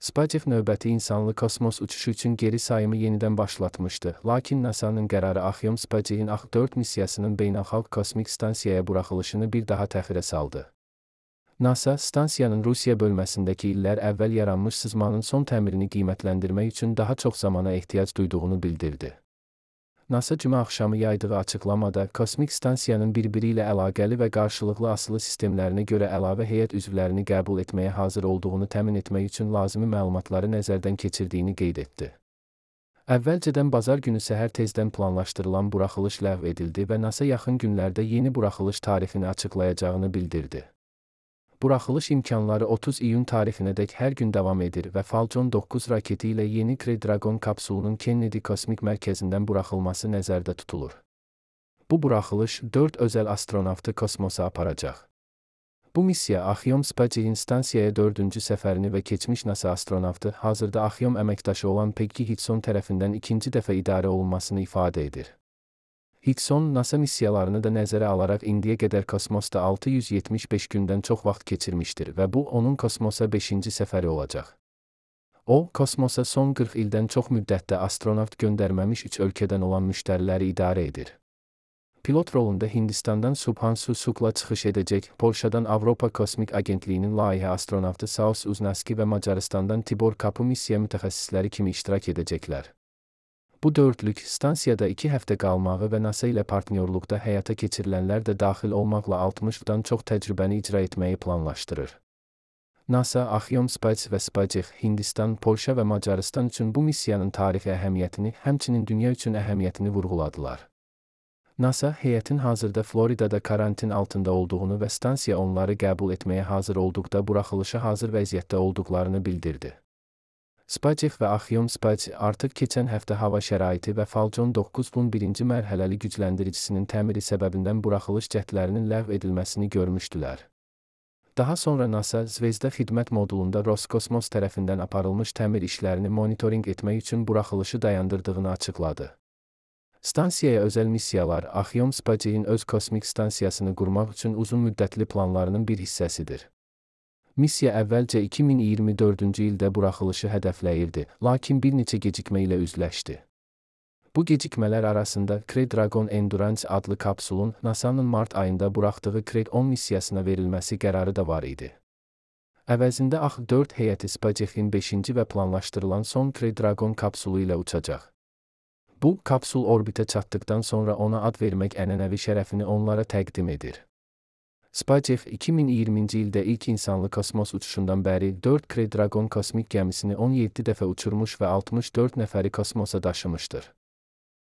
Spacex növbəti insanlı kosmos uçuşu üçün geri sayımı yenidən başlatmışdı, lakin NASA'nın qərarı Axiom Spacex'in AX-4 missiyasının beynəlxalq kosmik stansiyaya buraxılışını bir daha təxirə saldı. NASA, stansiyanın Rusiya bölməsindəki illər əvvəl yaranmış sızmanın son təmirini qiymətləndirmək üçün daha çox zamana ehtiyac duyduğunu bildirdi. NASA cümə axşamı yaydığı açıqlamada, kosmik stansiyanın bir-biri ilə əlaqəli və qarşılıqlı asılı sistemlərinə görə əlavə heyət üzvlərini qəbul etməyə hazır olduğunu təmin etmək üçün lazımi məlumatları nəzərdən keçirdiyini qeyd etdi. Əvvəlcədən bazar günü səhər tezdən planlaşdırılan buraxılış ləğv edildi və NASA yaxın günlərdə yeni buraxılış tarixini açıqlayacağını bildirdi. Buraxılış imkanları 30 iyun tarixinədək hər gün davam edir və Falcon 9 raketi ilə yeni Crew Dragon kapsulunun Kennedy Kosmik Mərkəzindən buraxılması nəzərdə tutulur. Bu buraxılış 4 özəl astronavtı kosmosa aparacaq. Bu missiya Axiom Spacex'in stansiyaya 4-cü səfərini və keçmiş NASA astronavtı, hazırda Axiom əməkdaşı olan Peggy Higson tərəfindən ikinci dəfə idarə olunmasını ifadə edir. Higson, NASA missiyalarını da nəzərə alaraq indiyə qədər kosmosda 675 gündən çox vaxt keçirmişdir və bu onun kosmosa 5-ci səfəri olacaq. O, kosmosa son 40 ildən çox müddətdə astronavt göndərməmiş 3 ölkədən olan müştəriləri idarə edir. Pilot rolunda Hindistandan Subhansu Sukla çıxış edəcək, Polşadan Avropa Kosmik Agentliyinin layihə astronavtı Saus Uznaski və Macarıstandan Tibor Kapu missiya mütəxəssisləri kimi iştirak edəcəklər. Bu dördlük, stansiyada 2 həftə qalmağı və NASA ilə partnyorluqda həyata keçirilənlər də daxil olmaqla 60-dan çox təcrübəni icra etməyi planlaşdırır. NASA, Axiom Spacex və Spacex, Hindistan, Polşa və Macarıstan üçün bu missiyanın tarixi əhəmiyyətini, həmçinin dünya üçün əhəmiyyətini vurğuladılar. NASA, heyətin hazırda Floridada karantin altında olduğunu və stansiya onları qəbul etməyə hazır olduqda buraxılışa hazır vəziyyətdə olduqlarını bildirdi. Spacex və Axiom Spacex artıq keçən həftə hava şəraiti və Falcon 9-un birinci mərhələli gücləndiricisinin təmiri səbəbindən buraxılış cəhdlərinin ləğv edilməsini görmüşdülər. Daha sonra NASA, Zvezda xidmət modulunda Roskosmos tərəfindən aparılmış təmir işlərini monitorinq etmək üçün buraxılışı dayandırdığını açıqladı. Stansiyaya özəl missiyalar, Axiom Spacex'in öz kosmik stansiyasını qurmaq üçün uzun müddətli planlarının bir hissəsidir. Missiya əvvəlcə 2024-cü ildə buraxılışı hədəfləyirdi, lakin bir neçə gecikmə ilə üzləşdi. Bu gecikmələr arasında Crew Dragon Endurance adlı kapsulun NASA'nın mart ayında buraxdığı Crew 10 missiyasına verilməsi qərarı da var idi. Əvəzində AX-4 heyəti Spacex'in 5-ci və planlaşdırılan son Crew Dragon kapsulu ilə uçacaq. Bu, kapsul orbitə çatdıqdan sonra ona ad vermək ənənəvi şərəfini onlara təqdim edir. Spacex 2020-ci ildə ilk insanlı kosmos uçuşundan bəri 4 Crew Dragon kosmik gəmisini 17 dəfə uçurmuş və 64 nəfəri kosmosa daşımışdır.